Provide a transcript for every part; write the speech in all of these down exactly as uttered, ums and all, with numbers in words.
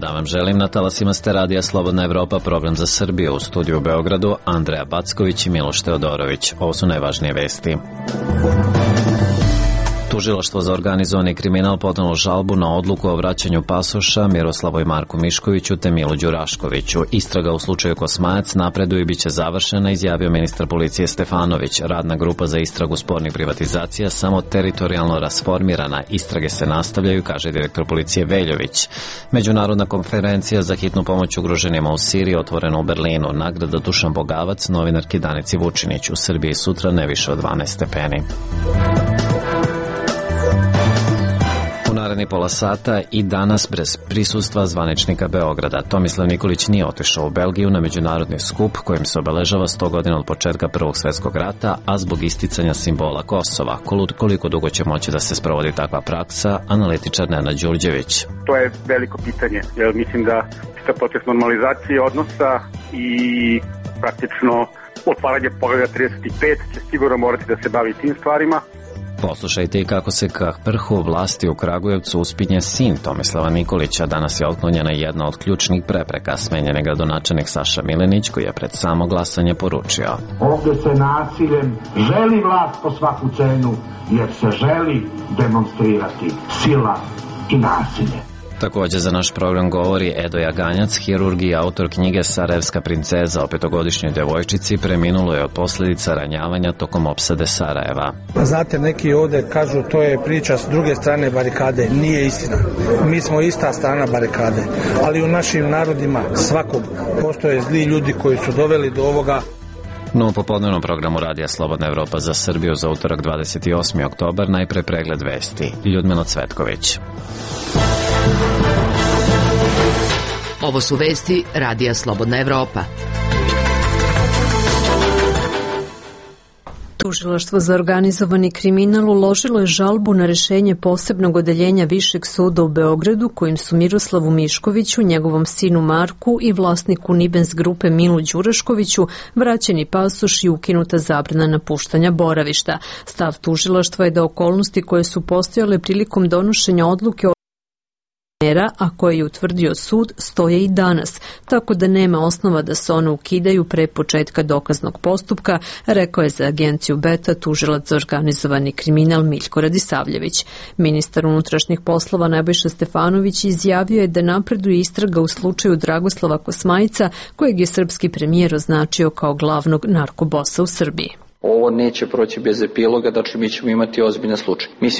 dan vam želim. Na talasima ste radija Slobodna Evropa, program za Srbiju. U studiju u Beogradu Andreja Backović i Miloš Teodorović. Ovo su najvažnije vesti. Tužilaštvo za organizovani kriminal podnelo žalbu na odluku o vraćanju pasoša Miroslavu i Marku Miškoviću te Milu Đuraškoviću. Istraga u slučaju Kosmajac napreduje i bit će završena, izjavio ministar policije Stefanović. Radna grupa za istragu spornih privatizacija samo teritorijalno rasformirana. Istrage se nastavljaju, kaže direktor policije Veljović. Međunarodna konferencija za hitnu pomoć ugroženima u Siriji otvorena u Berlinu. Nagrada Dušan Bogavac novinarki Danici Vučinić. U Srbiji sutra ne više od dvanaest stepeni. Naredni pola sata i danas bez prisustva zvaničnika Beograda. Tomislav Nikolić nije otišao u Belgiju na međunarodni skup kojim se obeležava sto godina od početka Prvog svjetskog rata, a zbog isticanja simbola Kosova. Koliko dugo će moći da se sprovodi takva praksa, analitičar Nenad Đurđević. To je veliko pitanje, jer mislim da čitav proces normalizacije odnosa i praktično otvaranje poglavlja trideset pet će sigurno morati da se bavi tim stvarima. Poslušajte i kako se ka vrhu vlasti u Kragujevcu uspinje sin Tomislava Nikolića. Danas je otklonjena jedna od ključnih prepreka. Smenjen je gradonačelnik Saša Milenić, koji je pred samo glasanje poručio: ovdje se nasiljem želi vlast po svaku cenu, jer se želi demonstrirati sila i nasilje. Također za naš program govori Edo Jaganjac, hirurg i autor knjige Sarajevska princeza o petogodišnjoj devojčici, preminulo je od posljedica ranjavanja tokom opsade Sarajeva. Znate, neki ovdje kažu to je priča s druge strane barikade. Nije istina. Mi smo ista strana barikade. Ali u našim narodima svakog postoje zli ljudi koji su doveli do ovoga. No, u popodnevnom programu Radija Slobodna Evropa za Srbiju za utorak dvadeset osmi oktobar najpre pregled vesti. Ljudmila Cvetković. Ovo su vesti Radija Slobodna Evropa. Tužilaštvo za organizovani kriminal uložilo je žalbu na rešenje posebnog odeljenja Višeg suda u Beogradu, kojim su Miroslavu Miškoviću, njegovom sinu Marku i vlasniku Nibens grupe Milu Đuraškoviću vraćeni pasoš i ukinuta zabrana napuštanja boravišta. Stav tužilaštva je da okolnosti koje su postojale prilikom donošenja odluke o mera, a koje je utvrdio sud, stoje i danas, tako da nema osnova da se one ukidaju pre početka dokaznog postupka, rekao je za agenciju Beta tužilac za organizovani kriminal Miljko Radisavljević. Ministar unutrašnjih poslova Nebojša Stefanović izjavio je da napreduje istraga u slučaju Dragoslava Kosmajca, kojeg je srpski premijer označio kao glavnog narkobosa u Srbiji. Ovo neće proći bez epiloga, dakle mi ćemo imati ozbiljan slučaj. Mislim,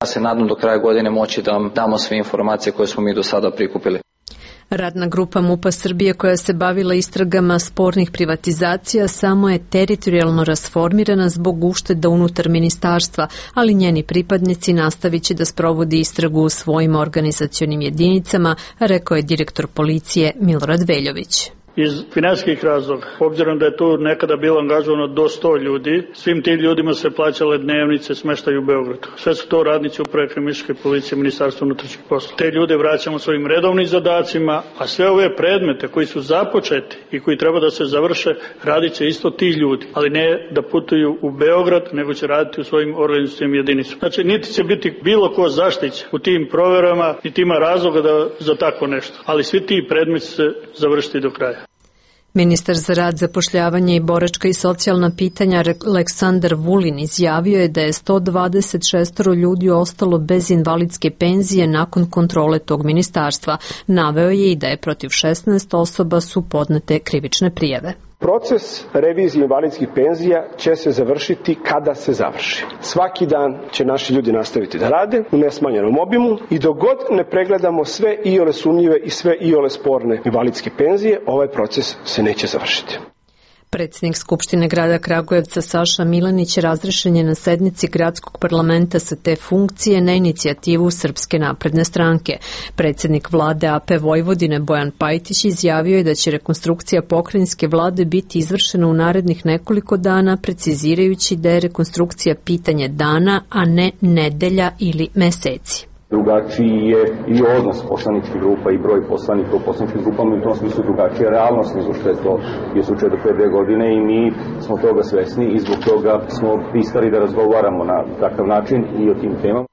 ja se nadam do kraja godine moći da vam damo sve informacije koje smo mi do sada prikupili. Radna grupa MUP-a Srbije koja se bavila istragama spornih privatizacija samo je teritorijalno rasformirana zbog ušteda unutar ministarstva, ali njeni pripadnici nastavit će da sprovodi istragu u svojim organizacionim jedinicama, rekao je direktor policije Milorad Veljović. Iz finansijskih razloga, obzirom da je tu nekada bilo angažovano do sto ljudi, svim tim ljudima se plaćale dnevnice, smeštaj u Beogradu. Sve su to radnici uprave kriminalističke policije, Ministarstva unutrašnjih poslova. Te ljude vraćamo svojim redovnim zadacima, a sve ove predmete koji su započeti i koji treba da se završe, radit će isto ti ljudi, ali ne da putuju u Beograd, nego će raditi u svojim organizacijnim jedinicama. Znači, niti će biti bilo ko zaštićen u tim proverama, niti ima razloga da, za tako nešto, ali svi ti predmeti se završiti do kraja. Ministar za rad, zapošljavanje i boračka i socijalna pitanja Aleksandar Vulin izjavio je da je sto dvadeset šest ljudi ostalo bez invalidske penzije nakon kontrole tog ministarstva. Naveo je i da je protiv šesnaest osoba su podnete krivične prijave. Proces revizije invalidskih penzija će se završiti kada se završi. Svaki dan će naši ljudi nastaviti da rade u nesmanjenom obimu i dok god ne pregledamo sve iole sumnjive i sve iole sporne invalidske penzije, ovaj proces se neće završiti. Predsjednik Skupštine grada Kragujevca Saša Milenić razrešen je na sednici gradskog parlamenta sa te funkcije na inicijativu Srpske napredne stranke. Predsjednik vlade A P Vojvodine Bojan Pajtić izjavio je da će rekonstrukcija pokrajinske vlade biti izvršena u narednih nekoliko dana, precizirajući da je rekonstrukcija pitanje dana, a ne nedelja ili meseci. Drugačiji je i odnos poslaničkih grupa i broj poslanika u poslaničkim grupama i u tom smislu drugačija realnost nego što je to bio slučaj do pre dve godine i mi smo toga svesni i zbog toga smo pristali da razgovaramo na takav način i o tim temama.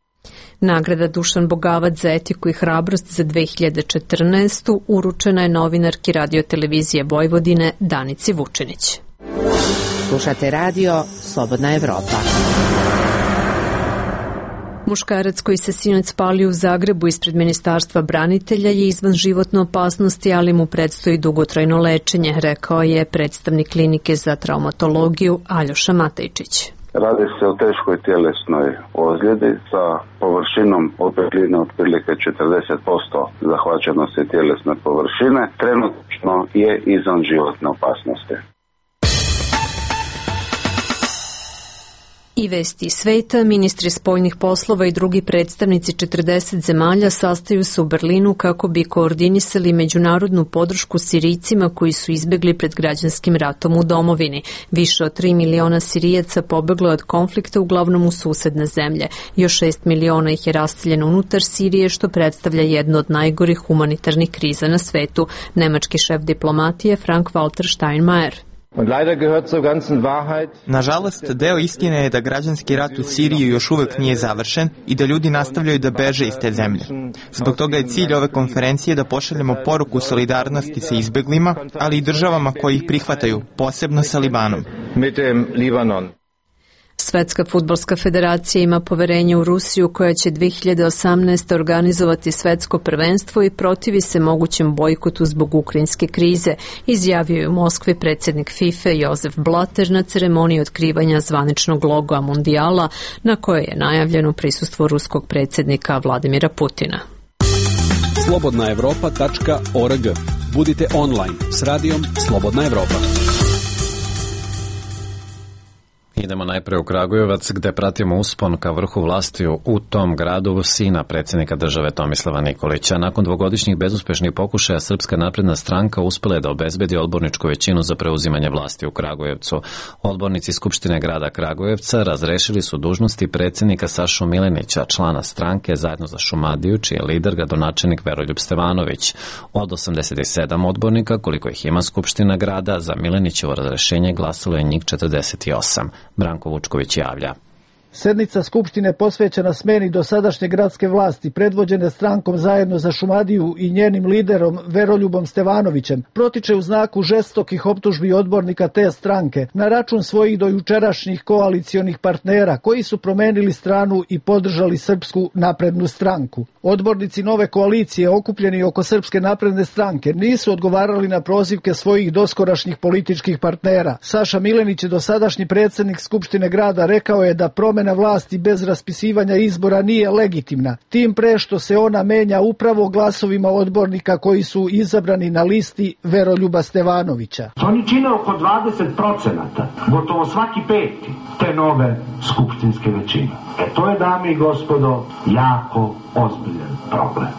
Nagrada Dušan Bogavac za etiku i hrabrost za dve hiljade četrnaestu. uručena je novinarki Radio-televizije Vojvodine Danici Vučinić. Slušate radio Slobodna Evropa. Muškarac koji se sinoć spalio u Zagrebu ispred Ministarstva branitelja je izvan životne opasnosti, ali mu predstoji dugotrajno lečenje, rekao je predstavnik klinike za traumatologiju Aljoša Matajčić. Radi se o teškoj tjelesnoj ozljedi sa površinom opekline otprilike četrdeset posto zahvaćenosti tjelesne površine. Trenutno je izvan životne opasnosti. I vesti sveta, ministri spoljnih poslova i drugi predstavnici četrdeset zemalja sastaju se u Berlinu kako bi koordinisali međunarodnu podršku Sirijcima koji su izbjegli pred građanskim ratom u domovini. Više od tri miliona Sirijaca pobeglo od konflikta, uglavnom u susedne zemlje. Još šest miliona ih je raseljeno unutar Sirije, što predstavlja jednu od najgorih humanitarnih kriza na svetu. Nemački šef diplomatije Frank-Walter Steinmeier. Nažalost, deo istine je da građanski rat u Siriji još uvek nije završen i da ljudi nastavljaju da beže iz te zemlje. Zbog toga je cilj ove konferencije da pošaljemo poruku solidarnosti sa izbeglima, ali i državama koji ih prihvataju, posebno sa Libanom. Svetska fudbalska federacija ima poverenje u Rusiju koja će dve hiljade osamnaeste. organizovati svetsko prvenstvo i protivi se mogućem bojkotu zbog ukrajinske krize, izjavio je u Moskvi predsjednik FIFA Josef Blatter na ceremoniji otkrivanja zvaničnog logoa Mundijala, na kojoj je najavljeno prisustvo ruskog predsjednika Vladimira Putina. slobodna evropa tačka org. Budite online s radijom Slobodna Evropa. Idemo najpre u Kragujevac, gde pratimo uspon ka vrhu vlasti u tom gradu sina predsjednika države Tomislava Nikolića. Nakon dvogodišnjih bezuspešnih pokušaja, Srpska napredna stranka uspela je da obezbedi odborničku većinu za preuzimanje vlasti u Kragujevcu. Odbornici Skupštine grada Kragujevca razrešili su dužnosti predsjednika Sašu Milenića, člana stranke Zajedno za Šumadiju, čiji je lider gradonačelnik Veroljub Stevanović. Od osamdeset sedam odbornika, koliko ih ima Skupština grada, za Milenićevo razrešenje glasalo je njih četrdeset osam. Branko Vučković javlja. Sednica Skupštine posvećena smeni dosadašnje gradske vlasti, predvođene strankom Zajedno za Šumadiju i njenim liderom Veroljubom Stevanovićem, protiče u znaku žestokih optužbi odbornika te stranke na račun svojih dojučerašnjih koalicionih partnera koji su promenili stranu i podržali Srpsku naprednu stranku. Odbornici nove koalicije okupljeni oko Srpske napredne stranke nisu odgovarali na prozivke svojih doskorašnjih političkih partnera. Saša Milenić, dosadašnji predsjednik Skupštine grada, rekao je da promjena vlasti bez raspisivanja izbora nije legitimna, tim pre što se ona menja upravo glasovima odbornika koji su izabrani na listi Veroljuba Stevanovića. Oni čine oko dvadeset procenata, gotovo svaki peti te nove skupštinske većine. E to je, dame i gospodo, jako ozbiljan problem.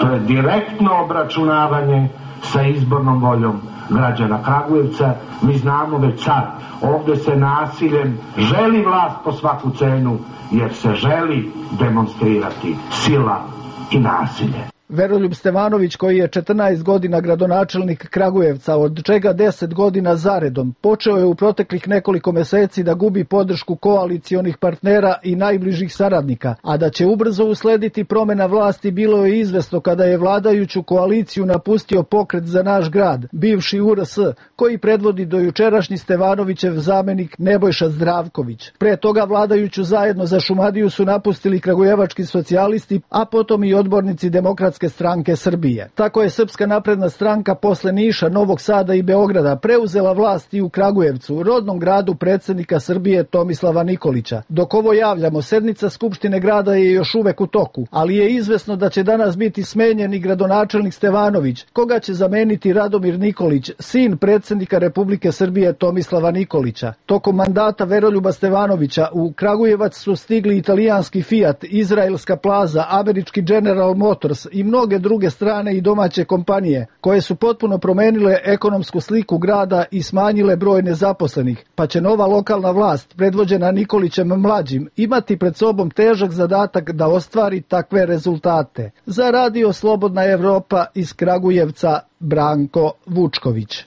To je direktno obračunavanje sa izbornom voljom građana Kragujevca. Mi znamo već sad, ovdje se nasiljem želi vlast po svaku cenu, jer se želi demonstrirati sila i nasilje. Veroljub Stevanović, koji je četrnaest godina gradonačelnik Kragujevca, od čega deset godina zaredom, počeo je u proteklih nekoliko meseci da gubi podršku koalicionih partnera i najbližih saradnika, a da će ubrzo uslediti promjena vlasti bilo je izvesno kada je vladajuću koaliciju napustio Pokret za naš grad, bivši U R S, koji predvodi dojučerašnji Stevanovićev zamenik Nebojša Zdravković. Pre toga vladajuću Zajedno za Šumadiju su napustili kragujevački socijalisti, a potom i odbornici Demokratske stranke Srbije. Tako je Srpska napredna stranka posle Niša, Novog Sada i Beograda preuzela vlast i u Kragujevcu, rodnom gradu predsjednika Srbije Tomislava Nikolića. Dok ovo javljamo, sednica Skupštine grada je još uvek u toku, ali je izvesno da će danas biti smenjen i gradonačelnik Stevanović, koga će zameniti Radomir Nikolić, sin predsjednika Republike Srbije Tomislava Nikolića. Tokom mandata Veroljuba Stevanovića u Kragujevac su stigli italijanski Fiat, izraelska Plaza, američki General Motors i mnoge druge strane i domaće kompanije, koje su potpuno promenile ekonomsku sliku grada i smanjile broj nezaposlenih, pa će nova lokalna vlast, predvođena Nikolićem mlađim, imati pred sobom težak zadatak da ostvari takve rezultate. Za radio Slobodna Evropa iz Kragujevca, Branko Vučković.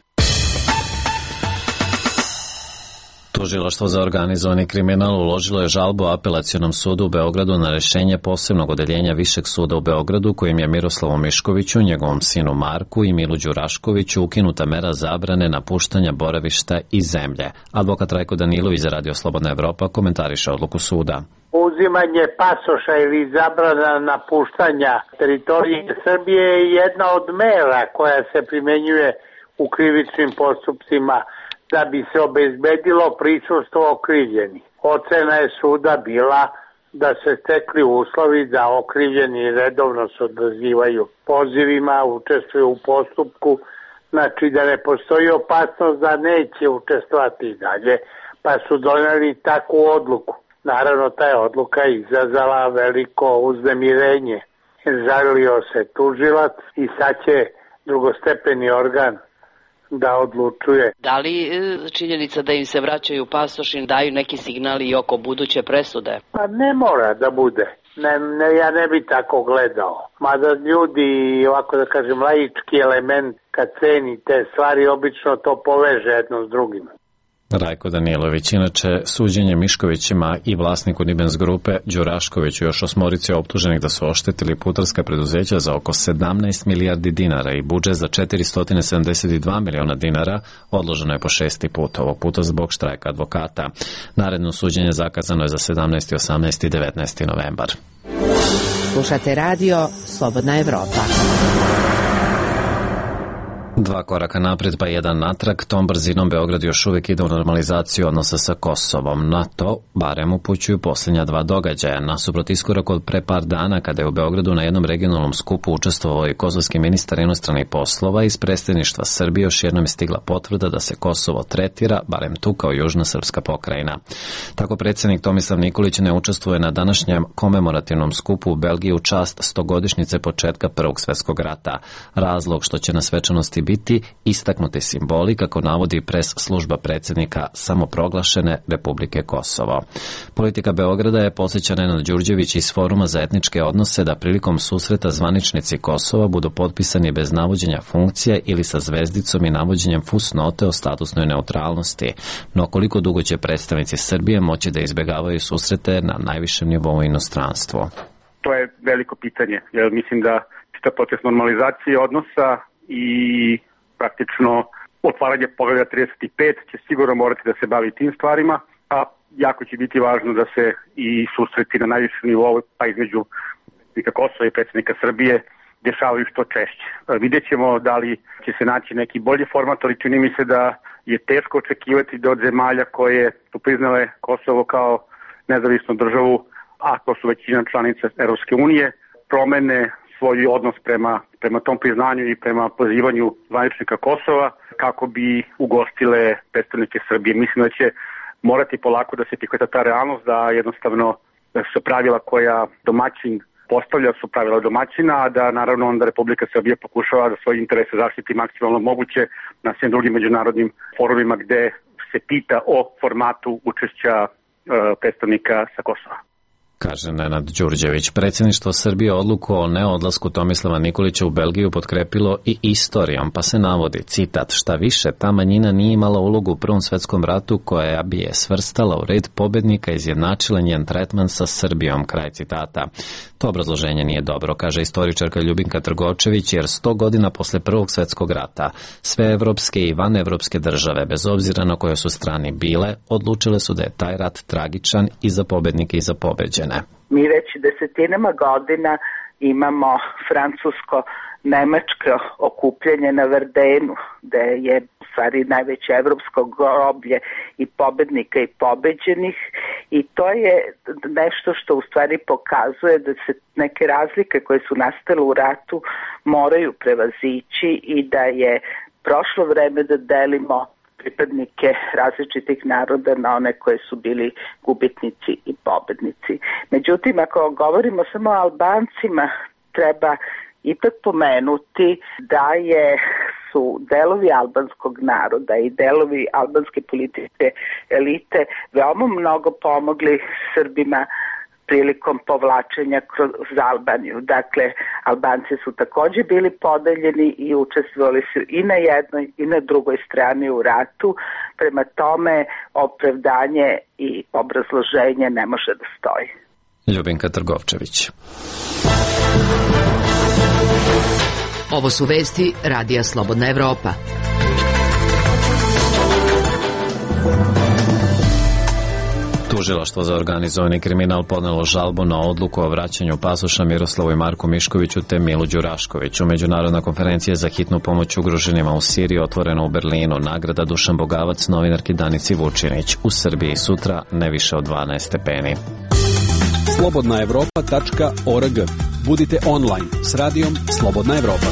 Tužilaštvo za organizovani kriminal uložilo je žalbu Apelacionom sudu u Beogradu na rešenje posebnog odeljenja Višeg suda u Beogradu kojim je Miroslavu Miškoviću, njegovom sinu Marku i Milu Đuraškoviću ukinuta mera zabrane napuštanja boravišta i zemlje. Advokat Rajko Danilović za Radio Slobodna Evropa komentariše odluku suda. Uzimanje pasoša ili zabrana napuštanja teritorije Srbije je jedna od mera koja se primenjuje u krivičnim postupcima da bi se obezbedilo prisustvo okrivljeni. Ocena je suda bila da se stekli uslovi da okrivljeni redovno se odazivaju pozivima, učestvuju u postupku, znači da ne postoji opasnost da neće učestvovati i dalje, pa su doneli takvu odluku. Naravno, ta je odluka izazvala veliko uznemirenje. Žalio se tužilac i sad će drugostepeni organ da odlučuje. Da li činjenica da im se vraćaju pasoši daju neki signali i oko buduće presude? Pa ne mora da bude. Ne, ne, ja ne bi tako gledao. Mada ljudi, ovako da kažem, laički element kad ceni te stvari, obično to poveže jedno s drugim. Rajko Danilović, inače suđenje Miškovićima i vlasniku Nibens grupe Đuraškoviću još osmorici optuženih da su oštetili putarska preduzeća za oko sedamnaest milijardi dinara i budžet za četiristo sedamdeset dva miliona dinara odloženo je po šesti put, ovog puta zbog štrajka advokata. Naredno suđenje zakazano je za sedamnaesti, osamnaesti i devetnaesti novembar. Slušate radio Slobodna Evropa. Dva koraka napred pa jedan natrag, tom brzinom Beograd još uvijek ide u normalizaciju odnosa sa Kosovom. Na to barem upućuju posljednja dva događaja. Nasuprot iskorak od pre par dana kada je u Beogradu na jednom regionalnom skupu učestvovao i kosovski ministar inostranih poslova, iz predstavništva Srbije još jednom je stigla potvrda da se Kosovo tretira, barem tu kao južna srpska pokrajina. Tako predsjednik Tomislav Nikolić ne učestvuje na današnjem komemorativnom skupu u Belgiji u čast stogodišnjice početka Prvog svjetskog rata. Razlog što će na svečanosti biti istaknuti simboli, kako navodi pres služba predsjednika samoproglašene Republike Kosovo. Politika Beograda je podsjeća Nenad Đurđević iz Foruma za etničke odnose da prilikom susreta zvaničnici Kosova budu potpisani bez navođenja funkcija ili sa zvezdicom i navođenjem fusnote o statusnoj neutralnosti. No koliko dugo će predstavnici Srbije moći da izbjegavaju susrete na najvišem nivou inostranstvu? To je veliko pitanje, jer mislim da čitav proces normalizacije odnosa i praktično otvaranje poglavlja trideset pet će sigurno morati da se bavi tim stvarima, a jako će biti važno da se i susreti na najvišem nivou, pa između predsjednika Kosova i predsjednika Srbije dešavaju što češće. Vidjet ćemo da li će se naći neki bolji format, ali čini mi se da je teško očekivati da od zemalja koje su priznale Kosovo kao nezavisnu državu, a to su većina članica Europske unije, promene svoj odnos prema, prema tom priznanju i prema pozivanju zvaničnika Kosova kako bi ugostile predstavnike Srbije. Mislim da će morati polako da se prihvata ta realnost, da jednostavno su pravila koja domaćin postavlja su pravila domaćina, a da naravno onda Republika Srbija pokušava da svoje interese zaštiti maksimalno moguće na svim drugim međunarodnim forumima gde se pita o formatu učešća e, predstavnika sa Kosova. Kaže Nenad Đurđević. Predsjedništvo Srbije odluku o neodlasku Tomislava Nikolića u Belgiju potkrepilo i istorijom, pa se navodi, citat, šta više, ta manjina nije imala ulogu u Prvom svjetskom ratu koja bi je svrstala u red pobednika i izjednačila njen tretman sa Srbijom, kraj citata. To obrazloženje nije dobro, kaže istoričarka Ljubinka Trgovčević, jer sto godina posle Prvog svjetskog rata sve evropske i vanevropske države, bez obzira na kojoj su strani bile, odlučile su da je taj rat tragičan i za pobednike i za pobeđene. Mi već desetinama godina imamo francusko-nemačko okupljanje na Verdenu, gde je u stvari najveće evropsko groblje i pobednika i pobeđenih, i to je nešto što u stvari pokazuje da se neke razlike koje su nastale u ratu moraju prevazići i da je prošlo vreme da delimo pripadnike različitih naroda na one koje su bili gubitnici i pobednici. Međutim, ako govorimo samo o Albancima, treba ipak pomenuti da je su delovi albanskog naroda i delovi albanske političke elite veoma mnogo pomogli Srbima prilikom povlačenja kroz Albaniju. Dakle, Albanci su takođe bili podeljeni i učestvovali su i na jednoj i na drugoj strani u ratu. Prema tome, opravdanje i obrazloženje ne može da stoji. Ljubinka Trgovčević. Ovo su vesti Radija Slobodna Evropa. Tužilaštvo za organizovani kriminal podnelo žalbu na odluku o vraćanju pasoša Miroslavu i Marku Miškoviću te Milu Đuraškoviću. Međunarodna konferencija za hitnu pomoć ugroženima u Siriji otvorena u Berlinu. Nagrada Dušan Bogavac novinarki Danici Vučinić. U Srbiji sutra ne više od dvanaest stepeni. slobodna evropa tačka org. Budite online s radijom Slobodna Evropa.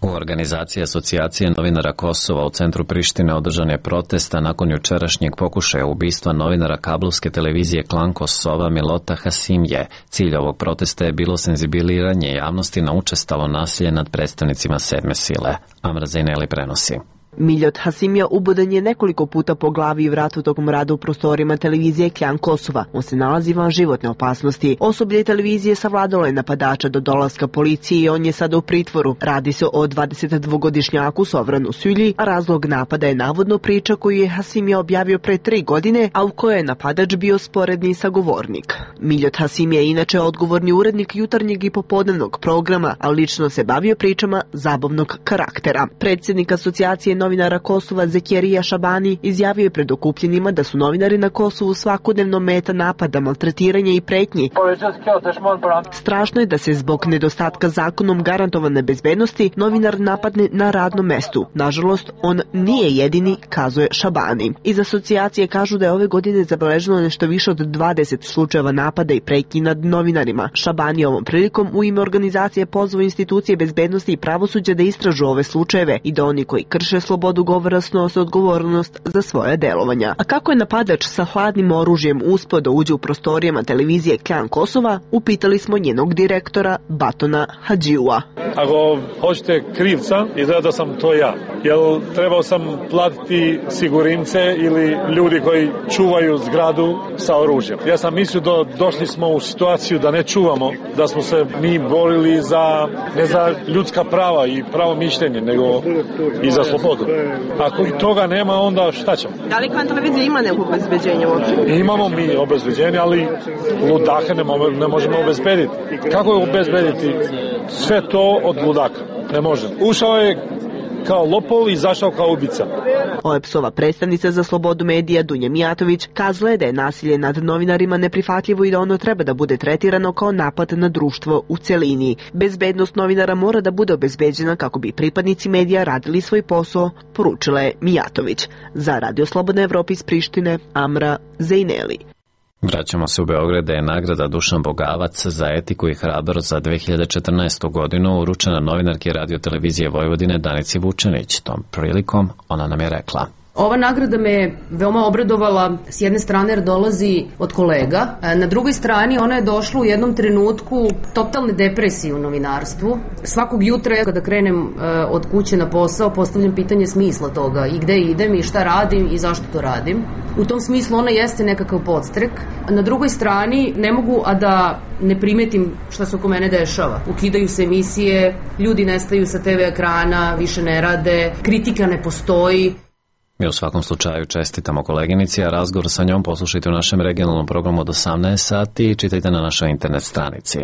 U organizaciji Asocijacije novinara Kosova u centru Prištine održan je protest, a nakon jučerašnjeg pokušaja ubistva novinara kablovske televizije Klan Kosova Milota Hasimje. Cilj ovog protesta je bilo senzibiliranje javnosti na učestalo nasilje nad predstavnicima sedme sile. Amra Zaineli prenosi. Miljot Hasimija ubodan je nekoliko puta po glavi i vratu tokom rada u prostorima televizije Klan Kosova. On se nalazi van životne opasnosti. Osoblje televizije savladalo je napadača do dolaska policije i on je sada u pritvoru. Radi se o dvadesetdvogodišnjaku Sovranu Sylji, a razlog napada je navodno priča koju je Hasimija objavio pre tri godine, a u kojoj je napadač bio sporedni sagovornik. Miljot Hasimija je inače odgovorni urednik jutarnjeg i popodnevnog programa, a lično se bavio pričama zabavnog karaktera. Predsjednik Asocijacije novinara Kosova Zekjerija Šabani izjavio je pred okupljenima da su novinari na Kosovu svakodnevno meta napada, maltretiranja i pretnji. Strašno je da se zbog nedostatka zakonom garantovane bezbednosti novinar napadne na radnom mestu. Nažalost, on nije jedini, kazuje Šabani. Iz asocijacije kažu da je ove godine zabeleženo nešto više od dvadeset slučajeva napada i pretnji nad novinarima. Šabani ovom prilikom u ime organizacije pozvao institucije bezbednosti i pravosuđa da istražu ove slučajeve i da oni koji krše slobodu govora snose odgovornost za svoje delovanja. A kako je napadač sa hladnim oružjem uspeo da uđe u prostorijama televizije Klan Kosova, upitali smo njenog direktora Batona Hadžiua. Ako hoćete krivca, izgleda da sam to ja. Jel trebao sam platiti sigurince ili ljudi koji čuvaju zgradu sa oružjem. Ja sam mislio da došli smo u situaciju da ne čuvamo, da smo se mi borili za, ne za ljudska prava i pravo mišljenje, nego i za slobodu. Ako i toga nema, onda šta ćemo? Da li Klan televizija ima neko obezbeđenje uopće? Imamo mi obezbeđenje, ali ludake ne, mo- ne možemo obezbediti. Kako je obezbediti sve to od ludaka? Ne može. Ušao je kao lopov i izašao kao ubica. O E P S-ova predstavnica za slobodu medija Dunja Mijatović kazala je da je nasilje nad novinarima neprihvatljivo i da ono treba da bude tretirano kao napad na društvo u celini. Bezbednost novinara mora da bude obezbeđena kako bi pripadnici medija radili svoj posao, poručila je Mijatović. Za Radio Slobodna Evropa iz Prištine, Amra Zaineli. Vraćamo se u Beograd, da je nagrada Dušan Bogavac za etiku i hrabrost za dve hiljade četrnaestu. godinu uručena novinarki Radio televizije Vojvodine Danici Vučinić. Tom prilikom ona nam je rekla: Ova nagrada me veoma obradovala, s jedne strane jer dolazi od kolega, na drugoj strani ona je došla u jednom trenutku totalne depresije u novinarstvu. Svakog jutra kada krenem od kuće na posao postavljam pitanje smisla toga i gde idem i šta radim i zašto to radim. U tom smislu ona jeste nekakav podstrek. Na drugoj strani ne mogu a da ne primetim šta se oko mene dešava. Ukidaju se emisije, ljudi nestaju sa te ve ekrana, više ne rade, kritika ne postoji. Mi u svakom slučaju čestitamo koleginici, a razgovor sa njom poslušajte u našem regionalnom programu od osamnaest sati i čitajte na našoj internet stranici.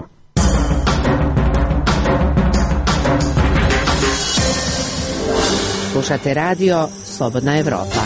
Slušate radio Slobodna Evropa.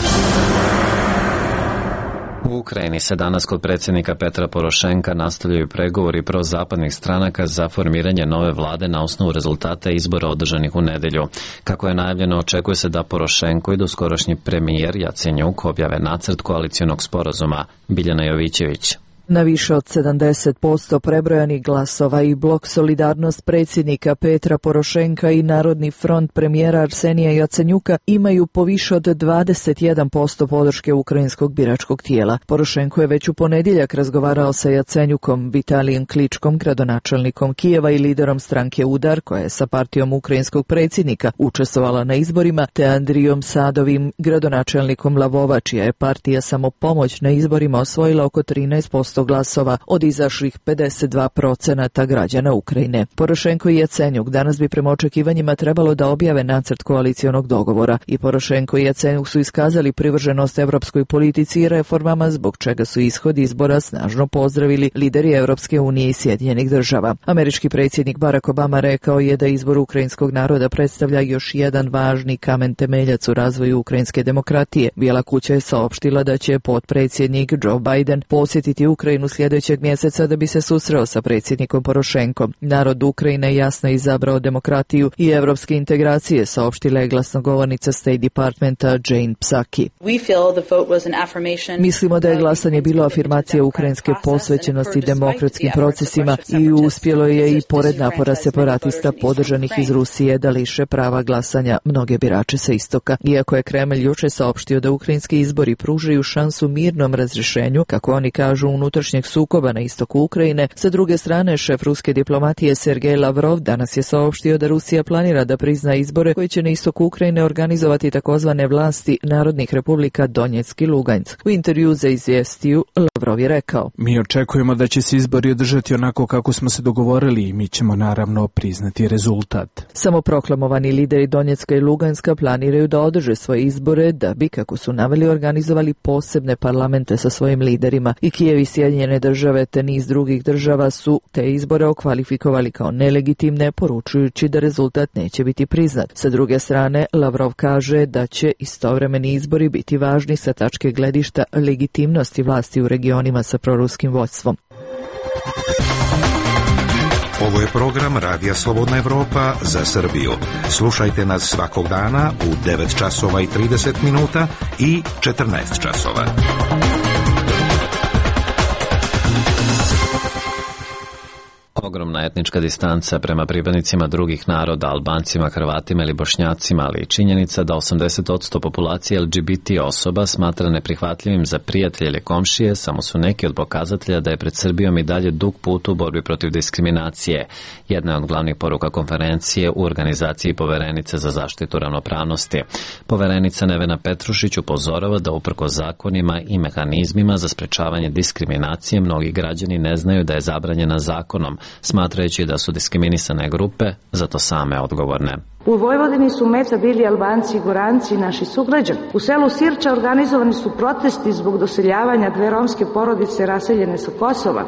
U Ukrajini se danas kod predsjednika Petra Porošenka nastavljaju pregovori prozapadnih stranaka za formiranje nove vlade na osnovu rezultata izbora održanih u nedelju. Kako je najavljeno, očekuje se da Porošenko i doskorašnji premijer Jacenjuk objave nacrt koalicionog sporazuma. Biljana Jovićević. Na više od sedamdeset posto prebrojanih glasova i blok Solidarnost predsjednika Petra Porošenka i Narodni front premijera Arsenija Jacenjuka imaju po više od dvadeset jedan posto podrške ukrajinskog biračkog tijela. Porošenko je već u ponedjeljak razgovarao sa Jacenjukom, Vitalijem Kličkom, gradonačelnikom Kijeva i liderom stranke Udar, koja je sa partijom ukrajinskog predsjednika učestvovala na izborima, te Andrijom Sadovim, gradonačelnikom Lavova, čija je partija Samopomoć na izborima osvojila oko trinaest posto glasova od izašlih pedeset dva procenata građana Ukrajine. Porošenko i Jacenjuk danas bi prema očekivanjima trebalo da objave nacrt koalicijonog dogovora i Porošenko i Jacenjuk su iskazali privrženost evropskoj politici i reformama, zbog čega su ishod izbora snažno pozdravili lideri Evropske unije i Sjedinjenih država. Američki predsjednik Barack Obama rekao je da izbor ukrajinskog naroda predstavlja još jedan važni kamen temeljac u razvoju ukrajinske demokratije. Bijela kuća je saopštila da će potpredsjednik Joe Biden posjetiti Ukrajinu sljedećeg mjeseca da bi se susreo sa predsjednikom Porošenkom. Narod Ukrajine jasno izabrao demokratiju i evropske integracije, saopštila je glasnogovornica State Departmenta Jane Psaki. Mislimo da je glasanje bilo afirmacija ukrajinske posvećenosti demokratskim procesima i uspjelo je i pored napora separatista podržanih iz Rusije da liše prava glasanja mnoge birače sa istoka. Iako je Kremlj juče saopštio da ukrajinski izbori pružaju šansu mirnom razrješenju, kako oni kažu, unutrašnjeg sukoba na istoku Ukrajine, sa druge strane šef ruske diplomatije Sergej Lavrov danas je saopštio da Rusija planira da prizna izbore koji će na istoku Ukrajine organizovati takozvane vlasti narodnih republika Donjeck i Lugansk. U intervju za izvjestiju Lavrov je rekao: Mi očekujemo da će se izbori održati onako kako smo se dogovorili i mi ćemo naravno priznati rezultat. Samoproklamovani lideri Donjecka i Luganska planiraju da održe svoje izbore da bi, kako su naveli, organizovali posebne parlamente sa svojim liderima i Kijev i Sjedinjene države te niz drugih država su te izbore okvalifikovali kao nelegitimne, poručujući da rezultat neće biti priznat. Sa druge strane, Lavrov kaže da će istovremeni izbori biti važni sa tačke gledišta legitimnosti vlasti u regionima sa proruskim vođstvom. Ovo je program Radija Slobodna Evropa za Srbiju. Slušajte nas svakog dana u devet časova i trideset minuta i četrnaest časova. Ogromna etnička distanca prema pripadnicima drugih naroda, Albancima, Hrvatima ili Bošnjacima, ali i činjenica da osamdeset posto populacije L G B T osoba smatra neprihvatljivim za prijatelje ili komšije samo su neki od pokazatelja da je pred Srbijom i dalje dug put u borbi protiv diskriminacije. Jedna od glavnih poruka konferencije u organizaciji Poverenice za zaštitu ravnopravnosti. Poverenica Nevena Petrušić upozorava da uprko zakonima i mehanizmima za sprečavanje diskriminacije mnogi građani ne znaju da je zabranjena zakonom, smatrajući da su diskriminisane grupe zato same odgovorne. U Vojvodini su meta bili Albanci i Goranci i naši sugrađani. U selu Sirča organizovani su protesti zbog doseljavanja dve romske porodice raseljene sa Kosova,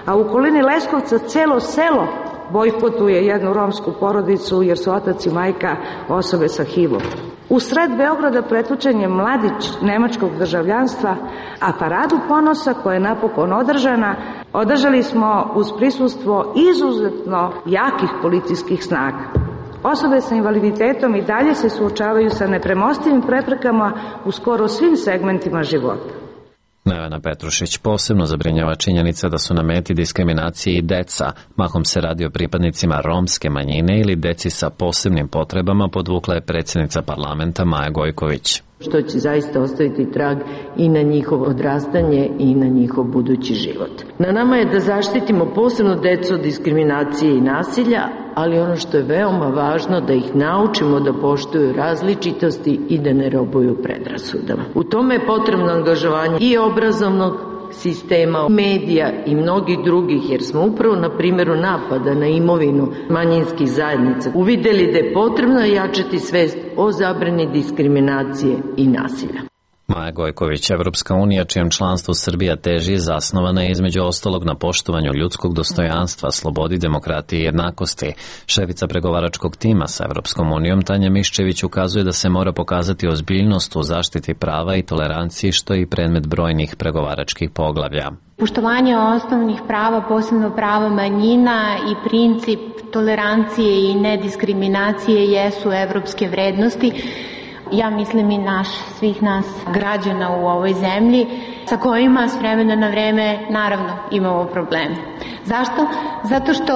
a u okolini Leskovca celo selo bojkotuje jednu romsku porodicu jer su otac i majka osobe sa H I V-om. U sred Beograda pretučen je mladić nemačkog državljanstva, a paradu ponosa koja je napokon održana, održali smo uz prisustvo izuzetno jakih policijskih snaga. Osobe sa invaliditetom i dalje se suočavaju sa nepremostivim preprekama u skoro svim segmentima života. Nevena Petrušić posebno zabrinjava činjenica da su na meti diskriminacije i deca. Mahom se radi o pripadnicima romske manjine ili deci sa posebnim potrebama, podvukla je predsjednica parlamenta Maja Gojković. Što će zaista ostaviti trag i na njihovo odrastanje i na njihov budući život. Na nama je da zaštitimo posebno decu od diskriminacije i nasilja, ali ono što je veoma važno da ih naučimo da poštuju različitosti i da ne robuju predrasudama. U tome je potrebno angažovanje i obrazovnog sistema, medija i mnogih drugih, jer smo upravo na primjeru napada na imovinu manjinskih zajednica uvidjeli da je potrebno jačati svest o zabrani diskriminacije i nasilja. Maja Gojković, Evropska unija, čijem članstvu Srbija teži, zasnovana je između ostalog na poštovanju ljudskog dostojanstva, slobodi, demokratije i jednakosti. Šefica pregovaračkog tima sa Evropskom unijom Tanja Miščević ukazuje da se mora pokazati ozbiljnost u zaštiti prava i toleranciji, što je i predmet brojnih pregovaračkih poglavlja. Poštovanje osnovnih prava, posebno prava manjina i princip tolerancije i nediskriminacije jesu evropske vrednosti. Ja mislim i naš, svih nas građana u ovoj zemlji sa kojima s vremena na vreme naravno imamo probleme. Zašto? Zato što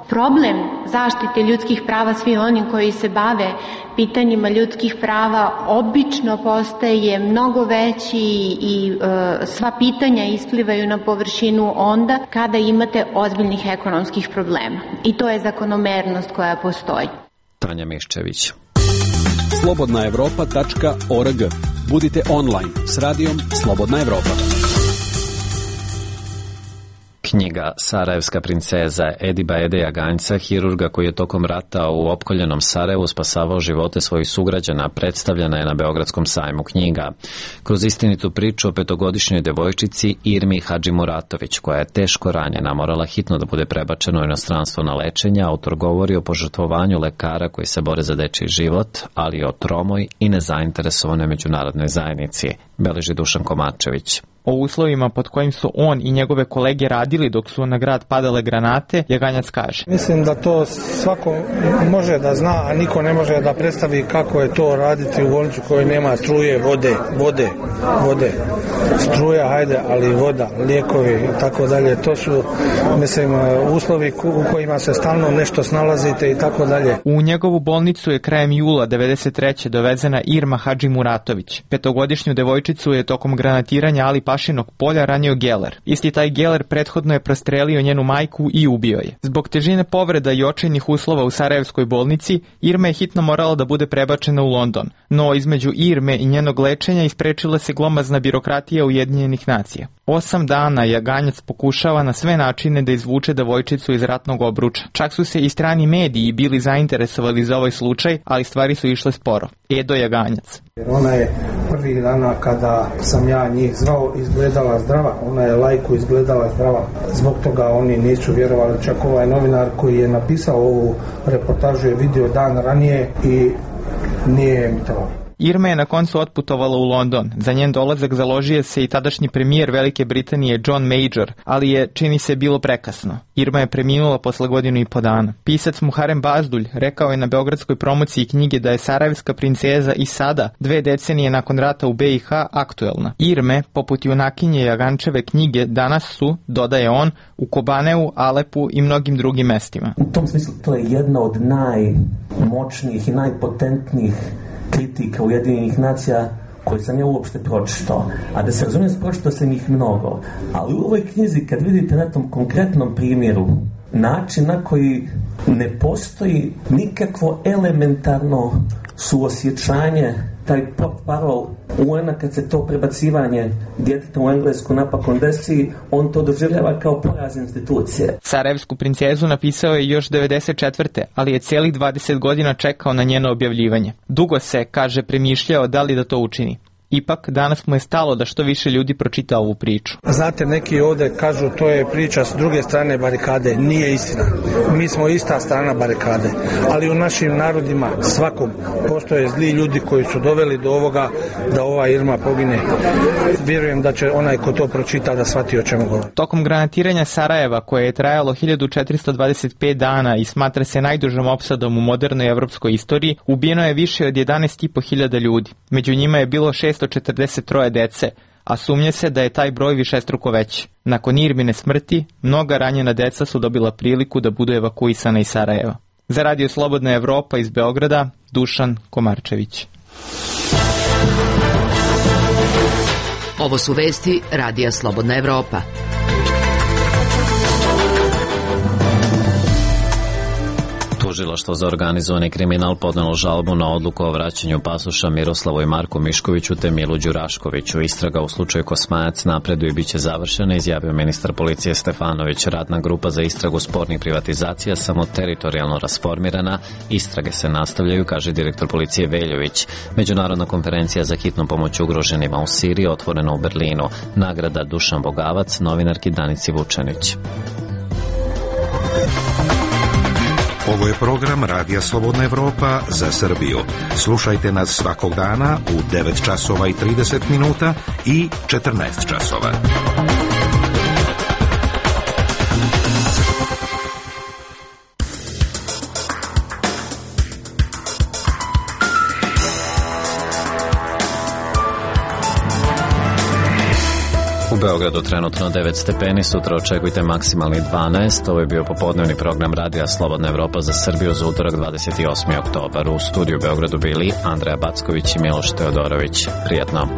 problem zaštite ljudskih prava svi oni koji se bave pitanjima ljudskih prava obično postaje mnogo veći i e, sva pitanja isplivaju na površinu onda kada imate ozbiljnih ekonomskih problema. I to je zakonomernost koja postoji. Tanja Miščević. slobodna evropa tačka org. Budite online s radijom Slobodna Evropa. Knjiga Sarajevska princeza Ediba Edeja Ganjca, hirurga koji je tokom rata u opkoljenom Sarajevu spasavao živote svojih sugrađana, predstavljena je na Beogradskom sajmu knjiga. Kroz istinitu priču o petogodišnjoj devojčici Irmi Hadžimuratović, koja je teško ranjena, morala hitno da bude prebačena u inostranstvo na lečenje, autor govori o požrtvovanju lekara koji se bore za dečiji život, ali i o tromoj i nezainteresovanoj međunarodnoj zajednici, beleži Dušan Komačević. O uslovima pod kojim su on i njegove kolege radili dok su na grad padale granate, Jaganjac kaže: Mislim da to svako može da zna, a niko ne može da predstavi kako je to raditi u bolnicu kojoj nema struje, vode, vode, vode. Struja, hajde, ali voda, lijekovi i tako dalje. To su, mislim, uslovi u kojima se stalno nešto snalazite i tako dalje. U njegovu bolnicu je krajem jula devedeset treće dovezena Irma Hadžimuratović. Petogodišnju devojčicu je tokom granatiranja Ali Pašinog polja ranio geler. Isti taj geler prethodno je prostrelio njenu majku i ubio je. Zbog težine povreda i očajnih uslova u Sarajevskoj bolnici, Irma je hitno morala da bude prebačena u London. No između Irme i njenog lečenja isprečila se glomazna birokratija Ujedinjenih nacija. Osam dana Jaganjac pokušava na sve načine da izvuče devojčicu iz ratnog obruča. Čak su se i strani mediji bili zainteresovali za ovaj slučaj, ali stvari su išle sporo. Edo Jaganjac. Ona je prvih dana kada sam ja njih zvao izgledala zdrava, ona je lajku izgledala zdrava. Zbog toga oni nisu vjerovali. Čak ovaj novinar koji je napisao ovu reportažu je vidio dan ranije i nije mi to. Irma je na koncu otputovala u London. Za njen dolazak založio se i tadašnji premijer Velike Britanije John Major, ali je, čini se, bilo prekasno. Irma je preminula posle godinu i po dana. Pisac Muharem Bazdulj rekao je na beogradskoj promociji knjige da je Sarajevska princeza i sada, dve decenije nakon rata u be i ha, aktuelna. Irme, poput junakinje Jagančeve knjige, danas su, dodaje on, u Kobaneu, Alepu i mnogim drugim mestima. U tom smislu to je jedna od najmoćnijih i najpotentnijih kritika Ujedinjenih nacija koje sam ja uopšte pročitao. A da se razumijem, pročitao sam ih mnogo. Ali u ovoj knjizi, kad vidite na tom konkretnom primjeru način na koji ne postoji nikakvo elementarno suosjećanje, taj portparol u ena kad se to prebacivanje djeteta u Englesku napakon desi, on to doživljava kao poraz institucije. Sarajevsku princezu napisao je još devedeset četvrte ali je cijelih dvadeset godina čekao na njeno objavljivanje. Dugo se, kaže, premišljao da li da to učini. Ipak, danas mu je stalo da što više ljudi pročita ovu priču. Znate, neki ovdje kažu to je priča s druge strane barikade. Nije istina. Mi smo ista strana barikade. Ali u našim narodima svakom postoje zli ljudi koji su doveli do ovoga da ova Irma pogine. Vjerujem da će onaj ko to pročita da shvati o čemu govori. Tokom granatiranja Sarajeva, koje je trajalo hiljadu četiristo dvadeset pet dana i smatra se najdužom opsadom u modernoj evropskoj istoriji, ubijeno je više od jedanaest i po hiljada ljudi. Među njima je bilo šesto četrdeset troje dece, a sumnje se da je taj broj višestruko veći. Nakon Irmine smrti, mnoga ranjena deca su dobila priliku da budu evakuisana iz Sarajeva. Za Radio Slobodna Evropa iz Beograda, Dušan Komarčević. Ovo su vesti Radija Slobodna Evropa. Tužilaštvo za organizovani kriminal podnelo žalbu na odluku o vraćanju pasoša Miroslavu i Marku Miškoviću te Milu Đuraškoviću. Istraga u slučaju Kosmajac napreduje i bit će završena, izjavio ministar policije Stefanović. Radna grupa za istragu spornih privatizacija samo teritorijalno rasformirana. Istrage se nastavljaju, kaže direktor policije Veljović. Međunarodna konferencija za hitnu pomoć ugroženima u Siriji otvorena u Berlinu. Nagrada Dušan Bogavac novinarki Danici Vučanić. Ovo je program Radija Slobodna Evropa za Srbiju. Slušajte nas svakog dana u devet časova i trideset minuta i četrnaest časova. Beogradu trenutno devet stepeni, sutra očekujte maksimalni dvanaest. Ovo je bio popodnevni program Radija Slobodna Evropa za Srbiju za utorak dvadeset osmi oktobar. U studiju u Beogradu bili Andreja Backović i Miloš Teodorović. Prijetno.